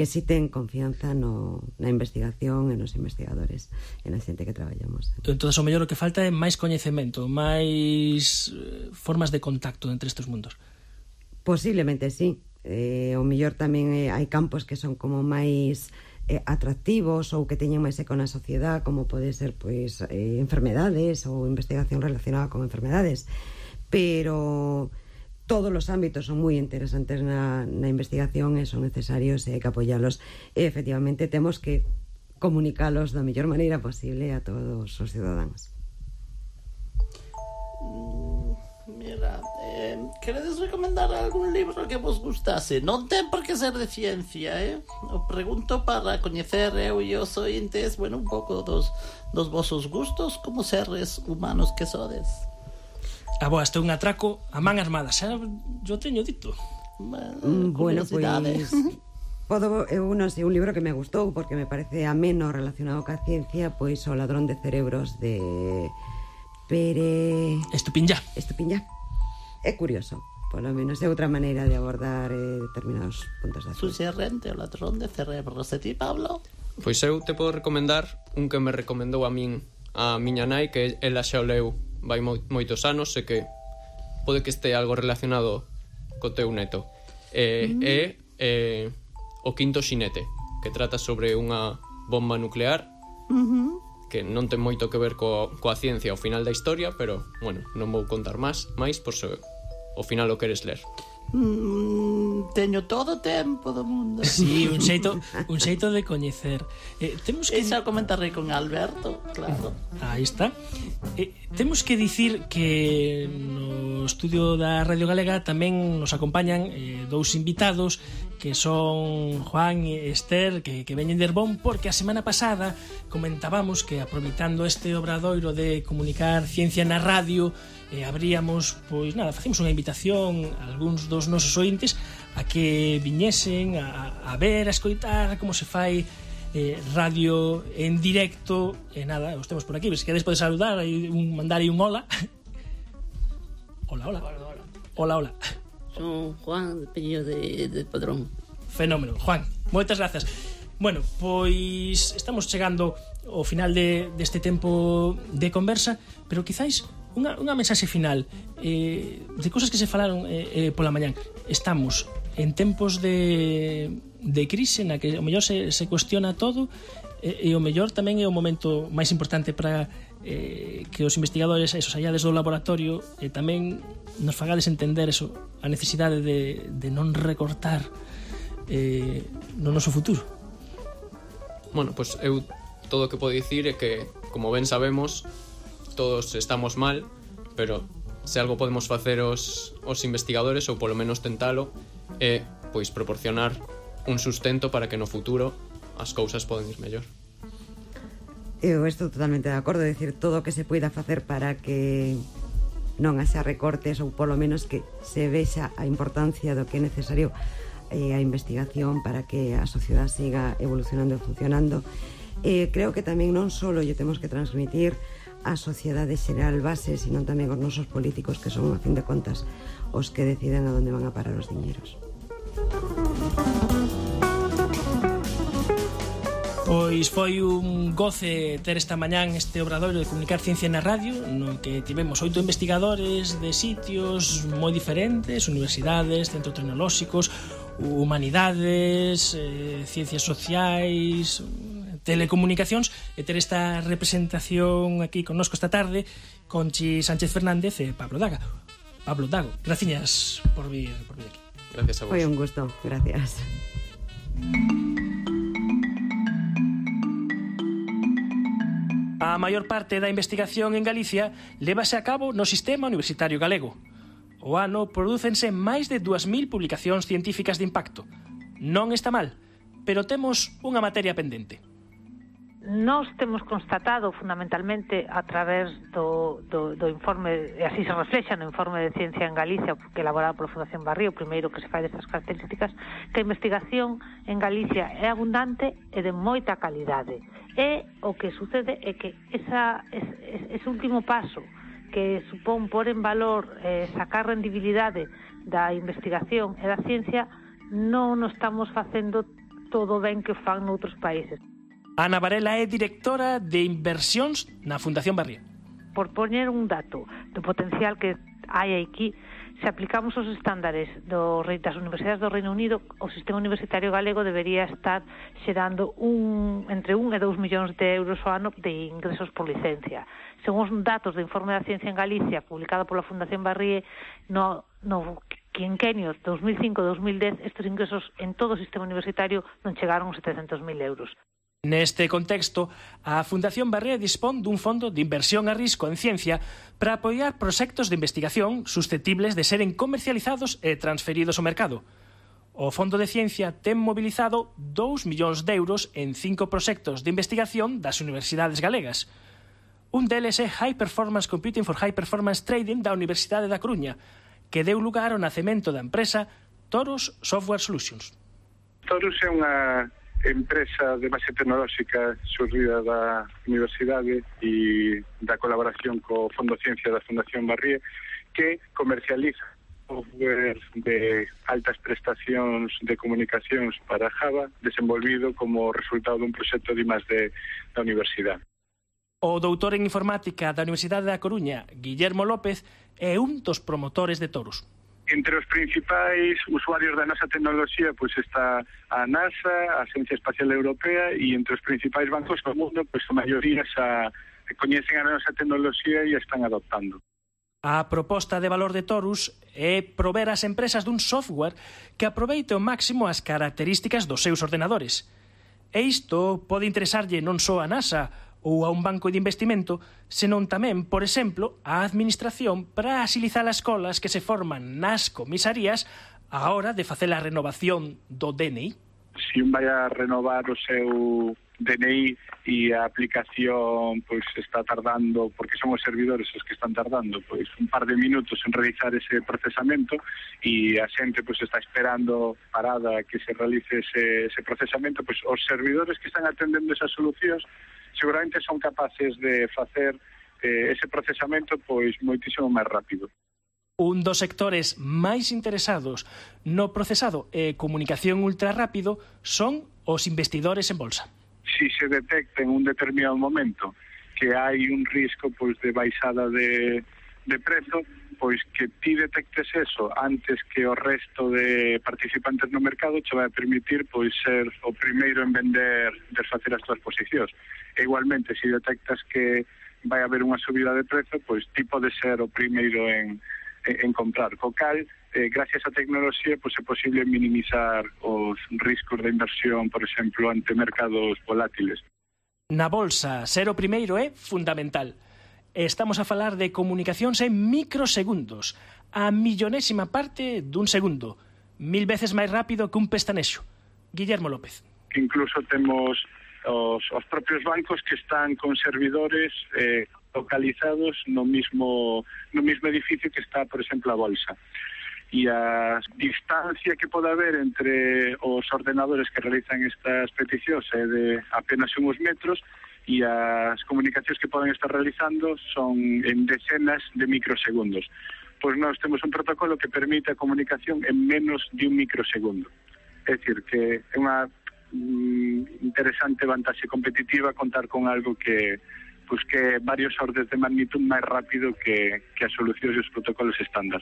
sí ten confianza na investigación e nos investigadores e na xente que traballamos. Entón, o mellor o que falta é máis coñecemento, máis formas de contacto entre estes mundos. Posiblemente sí. O mellor tamén hai campos que son como máis atractivos ou que teñen máis eco na sociedade, como pode ser pois enfermedades ou investigación relacionada con enfermedades, pero todos os ámbitos son moi interesantes na investigación e son necesarios e hai que apoialos e efectivamente temos que comunicalos da mellor maneira posible a todos os ciudadanos. Mira, queredes recomendar algún libro que vos gustase? Non ten por que ser de ciencia, O pregunto para coñecer eu e os ointes, bueno, un pouco dos vosos gustos como seres humanos que sodes. Boa, este é un atraco a man armada, xa yo teño dito. Bueno, pois eu non sei, un libro que me gustou porque me parece ameno relacionado ca ciencia, pois O ladrón de cerebros de Pere Estupiñá. É curioso, polo menos é outra maneira de abordar determinados puntos de asunto. Suxerrente, O ladrón de cerebros. E ti, Pablo? Pois eu te podo recomendar un que me recomendou a min a miña nai, que ela xa o leu vai moitos anos e que pode que este algo relacionado co teu neto. É O quinto xinete, que trata sobre unha bomba nuclear que non ten moito que ver coa ciencia ao final da historia, pero, bueno, non vou contar máis por se ao final o queres ler. Teño todo o tempo do mundo. Sí, un xeito de coñecer. Temos que xa comentarei con Alberto, claro. Aí está. Temos que dicir que no estudio da Radio Galega tamén nos acompañan dous invitados que son Juan e Esther, que veñen de Herbón, porque a semana pasada comentábamos que aproveitando este obradoiro de comunicar ciencia na radio, abríamos, pois nada, facemos unha invitación a algúns dos nosos ointes a que viñesen a ver, a escoitar como se fai radio en directo. E nada, os temos por aquí, se queres podes saludar, mandar aí un hola. Hola. Son Juan, apellido de Padrón. Fenómeno, Juan, moitas grazas. Bueno, pois estamos chegando ao final deste tempo de conversa, pero quizáis unha mensaxe final de cousas que se falaron pola mañán. Estamos en tempos de crise na que o mellor se cuestiona todo e o mellor tamén é o momento máis importante para que os investigadores allades do laboratorio tamén nos fagades entender a necesidade de non recortar no noso futuro. Bueno, pois eu todo o que podo dicir é que, como ben sabemos, todos estamos mal, pero se algo podemos facer os investigadores, ou polo menos tentalo, é pois proporcionar un sustento para que no futuro as cousas poden ir mellor. Eu estou totalmente de acordo, de decir, todo o que se poida facer para que non haxa recortes ou polo menos que se vexa a importancia do que é necesario a investigación para que a sociedade siga evolucionando e funcionando. Creo que tamén non só lle temos que transmitir a sociedade xeral base, sino tamén os nosos políticos, que son, a fin de contas, os que deciden a onde van a parar os diñeiros. Pois foi un goce ter esta mañán este obradoiro de comunicar ciencia na radio, no que tivemos 8 investigadores de sitios moi diferentes, universidades, centros tecnolóxicos, humanidades, ciencias sociais, telecomunicacións, e ter esta representación aquí connosco esta tarde, Conchi Sánchez Fernández e Pablo Daga. Pablo Dago. Gracias por vir aquí. Gracias a vos. Foi un gusto, gracias. A maior parte da investigación en Galicia lévase a cabo no sistema universitario galego. O ano prodúcense máis de 2.000 publicacións científicas de impacto. Non está mal, pero temos unha materia pendente. Nós temos constatado fundamentalmente a través do informe, e así se reflexa no informe de Ciencia en Galicia, que elaborado pola Fundación Barrio, o primeiro que se fai destas características, que a investigación en Galicia é abundante e de moita calidade. E o que sucede é que ese último paso que supón pôr en valor, sacar rendibilidade da investigación e da ciencia, non o estamos facendo todo ben que fan noutros países. Ana Varela é directora de inversións na Fundación Barría. Por poñer un dato do potencial que hai aquí, se aplicamos os estándares das universidades do Reino Unido, o sistema universitario galego debería estar xerando entre 1 e 2 millóns de euros ao ano de ingresos por licencia. Según os datos do informe da Ciencia en Galicia, publicado pola Fundación Barrie, no quinquenio 2005-2010, estes ingresos en todo o sistema universitario non chegaron aos 700.000 euros. Neste contexto, a Fundación Barrea dispón dun fondo de inversión a risco en ciencia para apoiar proxectos de investigación susceptibles de seren comercializados e transferidos ao mercado. O Fondo de Ciencia ten mobilizado 2 millóns de euros en 5 proxectos de investigación das universidades galegas. Un deles é High Performance Computing for High Performance Trading da Universidade da Coruña, que deu lugar ao nacemento da empresa Torus Software Solutions. Torus é unha empresa de base tecnolóxica surgida da universidade e da colaboración co Fondo de Ciencia da Fundación Barrie, que comercializa software de altas prestacións de comunicacións para Java, desenvolvido como resultado dun proxecto de I+D da universidade. O doutor en informática da Universidade da Coruña, Guillermo López, é un dos promotores de Torus. Entre os principais usuarios da nosa tecnoloxía pois está a NASA, a Agencia Espacial Europea, e entre os principais bancos do mundo pois a maioría xa coñecen a nosa tecnoloxía e a están adoptando. A proposta de valor de Torus é prover as empresas dun software que aproveite ao máximo as características dos seus ordenadores. E isto pode interesarlle non só a NASA ou a un banco de investimento, senón tamén, por exemplo, a administración para axilizar as colas que se forman nas comisarías á hora de facer a renovación do DNI. Se un vai a renovar o seu DNI e a aplicación pois está tardando, porque son os servidores os que están tardando pois un par de minutos en realizar ese procesamento, e a xente pois está esperando parada que se realice ese procesamento, pois os servidores que están atendendo esas solucións seguramente son capaces de facer ese procesamento pois moitísimo máis rápido. Un dos sectores máis interesados no procesado e comunicación ultrarrápido son os investidores en bolsa. Si se detecta en un determinado momento que hai un risco pois de baixada de prezo, pois que ti detectes eso antes que o resto de participantes no mercado che vai a permitir pois ser o primeiro en vender, desfacer as túas posicións. E igualmente, se detectas que vai haber unha subida de prezo, pois ti pode ser o primeiro en comprar. Co cal, gracias á tecnoloxía, pois é posible minimizar os riscos de inversión, por exemplo, ante mercados volátiles. Na bolsa, ser o primeiro é fundamental. Estamos a falar de comunicacións en microsegundos, a millonésima parte dun segundo, 1000 veces máis rápido que un pestanexo. Guillermo López. Incluso temos os propios bancos que están con servidores localizados no mismo edificio que está, por exemplo, a bolsa. E a distancia que pode haber entre os ordenadores que realizan estas peticións é de apenas uns metros, e as comunicacións que poden estar realizando son en decenas de microsegundos. Pois nós temos un protocolo que permite a comunicación en menos de un microsegundo. É dicir, que é unha interesante vantaxe competitiva contar con algo que é varios ordes de magnitud máis rápido que as solucións e os protocolos estándar.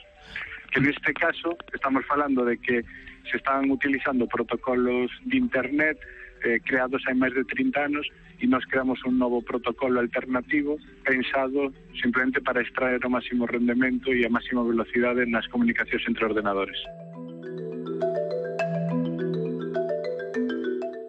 Que neste caso estamos falando de que se están utilizando protocolos de internet creados hai máis de 30 anos e nos creamos un novo protocolo alternativo pensado simplemente para extraer o máximo rendemento e a máxima velocidade nas comunicacións entre ordenadores.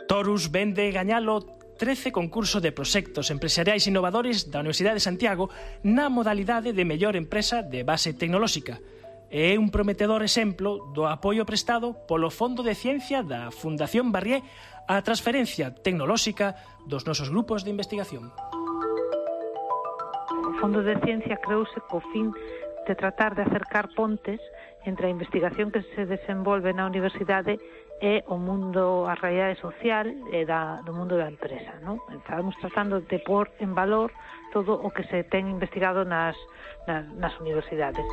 Torus vende gañalo 13 concurso de proxectos empresariais innovadores da Universidade de Santiago na modalidade de mellor empresa de base tecnolóxica. É un prometedor exemplo do apoio prestado polo Fondo de Ciencia da Fundación Barrié á transferencia tecnolóxica dos nosos grupos de investigación. O Fondo de Ciencia creouse co fin de tratar de acercar pontes entre a investigación que se desenvolve na universidade e o mundo, a realidade social e do mundo da empresa, non? Estamos tratando de pôr en valor todo o que se ten investigado nas universidades.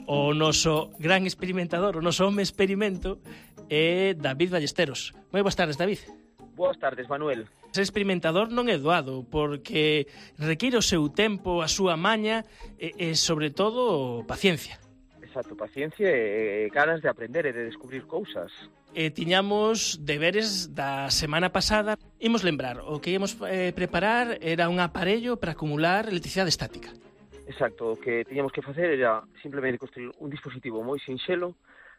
O noso gran experimentador, o noso home experimento é David Ballesteros. Moi boas tardes, David. Boas tardes, Manuel. Ser experimentador non é doado, porque require o seu tempo, a súa maña e sobre todo, paciencia. Exacto, paciencia e ganas de aprender e de descubrir cousas. Tiñamos deberes da semana pasada. Imos lembrar, o que íamos preparar era un aparello para acumular electricidade estática. Exacto, o que tiñamos que facer era simplemente construir un dispositivo moi sinxelo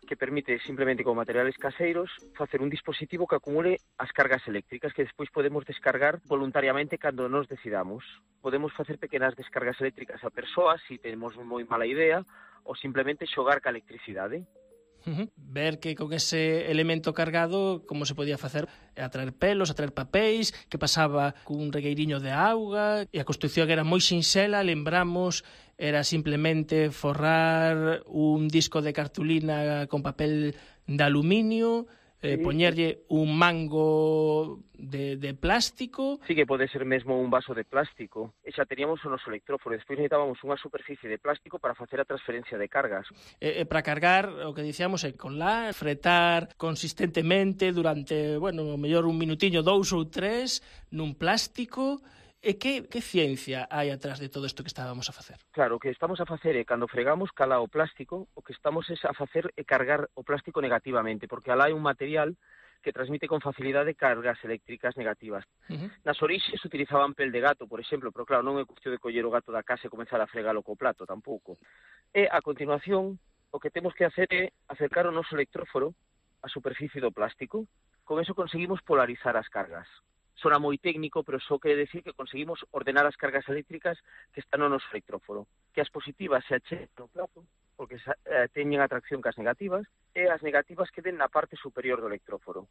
que permite simplemente con materiales caseiros facer un dispositivo que acumule as cargas eléctricas que despois podemos descargar voluntariamente cando nos decidamos. Podemos facer pequenas descargas eléctricas a persoas se temos moi mala idea ou simplemente xogar ca electricidade. Ver que con ese elemento cargado como se podía facer, atraer pelos, atraer papéis, que pasaba cun regueiriño de auga, e a construcción era moi sinxela, lembramos, era simplemente forrar un disco de cartulina con papel de aluminio, poñerlle un mango de plástico. Sí, que pode ser mesmo un vaso de plástico. E xa teníamos o noso electróforo. Despois necesitábamos unha superficie de plástico para facer a transferencia de cargas. Para cargar, o que dicíamos é conlar, fretar consistentemente durante, bueno, mellor un minutiño, 2 ou 3, nun plástico. E que ciencia hai atrás de todo isto que estábamos a facer? Claro, o que estamos a facer é, cando fregamos cala o plástico, o que estamos a facer é cargar o plástico negativamente, porque alá hai un material que transmite con facilidade cargas eléctricas negativas. Nas orixes utilizaban pel de gato, por exemplo, pero claro, non é cuestión de coller o gato da casa e comenzar a fregalo co plato, tampouco. E, a continuación, o que temos que hacer é acercar o noso electróforo á superficie do plástico. Con eso conseguimos polarizar as cargas. Sona moi técnico, pero só quere decir que conseguimos ordenar as cargas eléctricas que están no noso electróforo. Que as positivas se achegan no plato, porque teñen atracción cas negativas, e as negativas queden na parte superior do electróforo.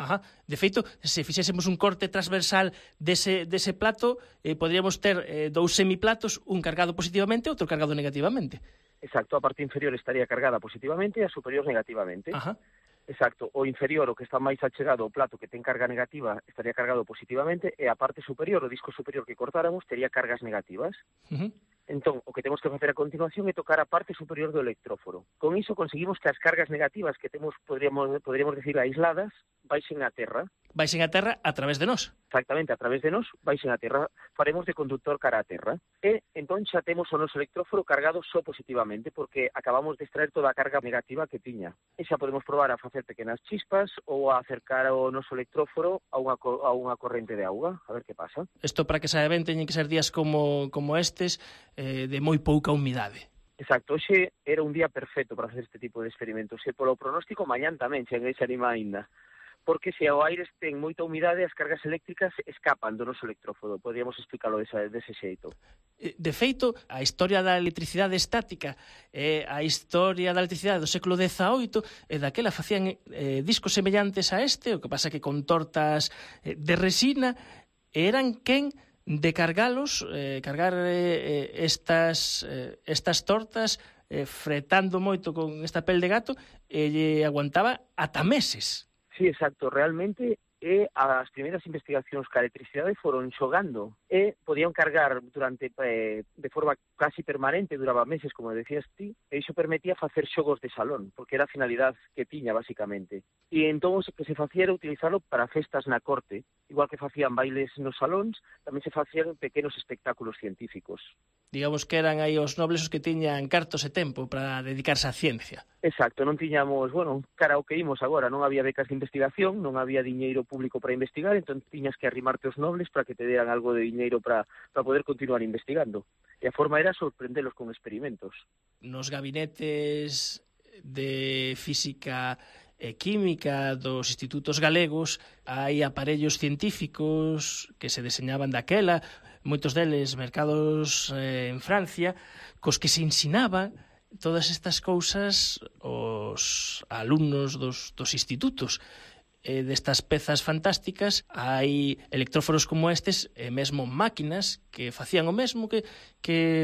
Ajá. De feito, se fixésemos un corte transversal dese plato, podríamos ter 2 semiplatos, un cargado positivamente e outro cargado negativamente. Exacto, a parte inferior estaría cargada positivamente e a superior negativamente. Ajá. Exacto, o inferior, o que está máis achegado ao plato que ten carga negativa, estaría cargado positivamente, e a parte superior, o disco superior que cortáramos, tería cargas negativas. Entón, o que temos que facer a continuación é tocar a parte superior do electróforo. Con iso conseguimos que as cargas negativas que temos, poderíamos decir, aisladas, baixen a terra. Baixen a terra a través de nós. Exactamente, a través de nós, baixen a terra. Faremos de conductor cara a terra. E, entón, xa temos o noso electróforo cargado só positivamente, porque acabamos de extraer toda a carga negativa que tiña. E xa podemos probar a facer pequenas chispas ou a acercar o noso electróforo a unha corrente de auga, a ver que pasa. Isto, para que saiba ben, teñen que ser días como estes, de moi pouca humidade. Exacto, hoxe era un día perfecto para facer este tipo de experimentos. E polo pronóstico, mañán tamén, se anima aínda. Porque se o aire ten moita humidade, as cargas eléctricas escapan do noso electróforo. Podríamos explicarlo dese xeito. De feito, a historia da electricidade estática e a historia da electricidade do século XVIII, daquela facían discos semellantes a este, o que pasa que con tortas de resina, eran quen de cargalos, cargar estas tortas, fretando moito con esta pel de gato, e lle aguantaba ata meses. Sí, exacto. Realmente e as primeiras investigacións ca electricidade foron xogando e podían cargar durante de forma casi permanente, duraba meses, como decías ti, e iso permitía facer xogos de salón, porque era a finalidade que tiña, basicamente. E entón o que se facía era utilizarlo para festas na corte, igual que facían bailes nos salóns, tamén se facían pequenos espectáculos científicos. Digamos que eran aí os nobles os que tiñan cartos e tempo para dedicarse á ciencia. Exacto, non tiñamos, cara ao que imos agora, non había becas de investigación, non había diñeiro público para investigar, entón tiñas que arrimarte os nobles para que te deran algo de diñeiro para poder continuar investigando. E a forma era sorprendelos con experimentos. Nos gabinetes de física e química dos institutos galegos hai aparellos científicos que se deseñaban daquela, moitos deles mercados en Francia, cos que se ensinaban todas estas cousas aos alumnos dos institutos. Destas pezas fantásticas hai electróforos como estes e mesmo máquinas que facían o mesmo que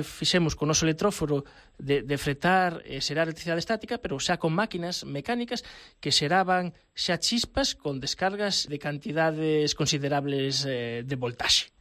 fixemos con o noso electróforo de fretar e xerar electricidade estática, pero xa con máquinas mecánicas que xeraban xa chispas con descargas de cantidades considerables de voltaxe.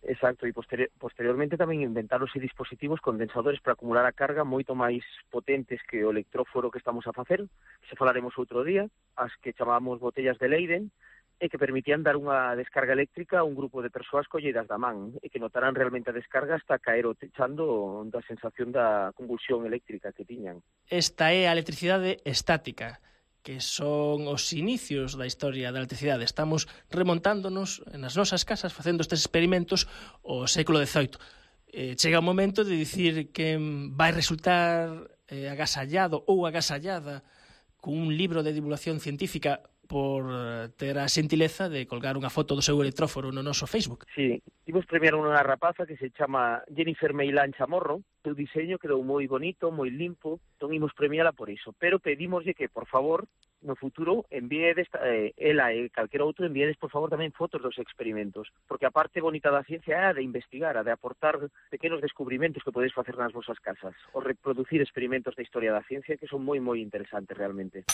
Exacto, e posteriormente tamén inventáronse dispositivos condensadores para acumular a carga moito máis potentes que o electróforo que estamos a facer, que se falaremos outro día, as que chamamos botellas de Leyden, e que permitían dar unha descarga eléctrica a un grupo de persoas colleidas da man, e que notarán realmente a descarga hasta caer o techando da sensación da convulsión eléctrica que tiñan. Esta é a electricidade estática, que son os inicios da historia da electricidade. Estamos remontándonos nas nosas casas facendo estes experimentos ao século XVIII. Chega o momento de dicir que vai resultar agasallado ou agasallada cun libro de divulgación científica por ter a xentileza de colgar unha foto do seu electróforo no noso Facebook. Sí, imos premiar unha rapaza que se chama Jennifer Meilán Chamorro. O diseño quedou moi bonito, moi limpo, entón imos premiala por iso. Pero pedimoslle que, por favor, no futuro envíedes, ela e calquera outro, envíedes, por favor, tamén fotos dos experimentos, porque a parte bonita da ciencia é a de investigar, a de aportar pequenos descubrimentos que podedes facer nas vosas casas, ou reproducir experimentos da historia da ciencia que son moi, moi interesantes realmente.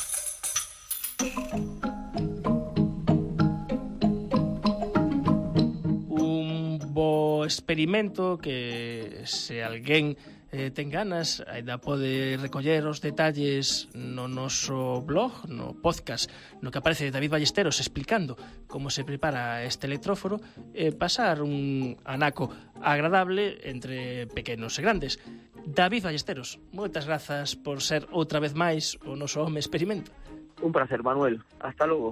Un bo experimento que se alguén ten ganas ainda pode recoller os detalles no noso blog, no podcast, no que aparece David Ballesteros explicando como se prepara este electróforo e pasar un anaco agradable entre pequenos e grandes. David Ballesteros, moitas grazas por ser outra vez máis o noso home experimento. Un placer, Manuel. Hasta luego.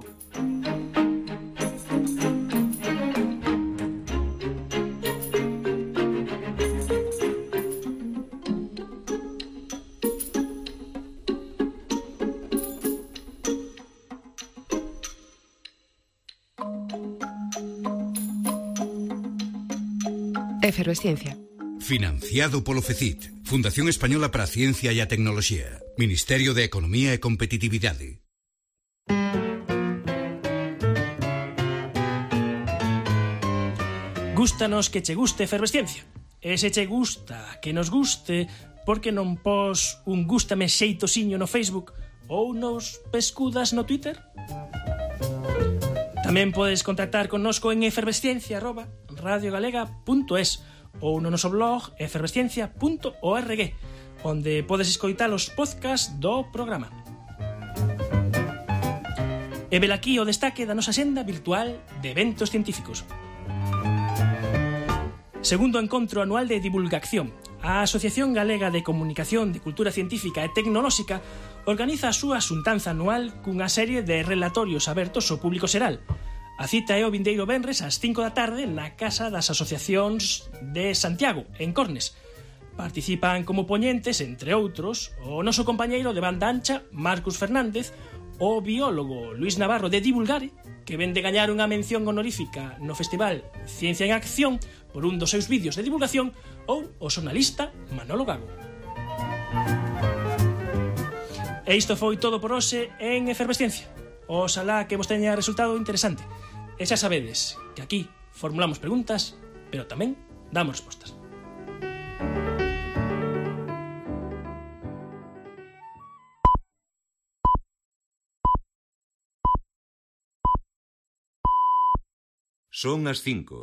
Efervesciencia. Financiado polo FECIT, Fundación Española para a Ciencia e a Tecnoloxía, Ministerio de Economía e Competitividade. Gústanos que che guste Efervesciencia. E se che gusta que nos guste, por que non pos un gústame xeitosiño no Facebook ou nos pescudas no Twitter? Tamén podes contactar connosco en efervesciencia@radiogalega.es ou no noso blog efervesciencia.org, onde podes escoitar os podcasts do programa. E velaquí o destaque da nosa senda virtual de eventos científicos. Segundo encontro anual de divulgación, a Asociación Galega de Comunicación de Cultura Científica e Tecnolóxica organiza a súa xuntanza anual cunha serie de relatorios abertos ao público xeral. A cita é o vindeiro venres ás 5 da tarde na Casa das Asociacións de Santiago, en Cornes. Participan como poñentes, entre outros, o noso compañeiro de banda ancha, Marcus Fernández, o biólogo Luis Navarro de Divulgare, que ven de gañar unha mención honorífica no Festival Ciencia en Acción por un dos seus vídeos de divulgación, ou o xornalista Manolo Gago. E isto foi todo por hoxe en Efervesciencia. Oxalá que vos teña resultado interesante. E xa sabedes que aquí formulamos preguntas, pero tamén damos respostas. Son as 5.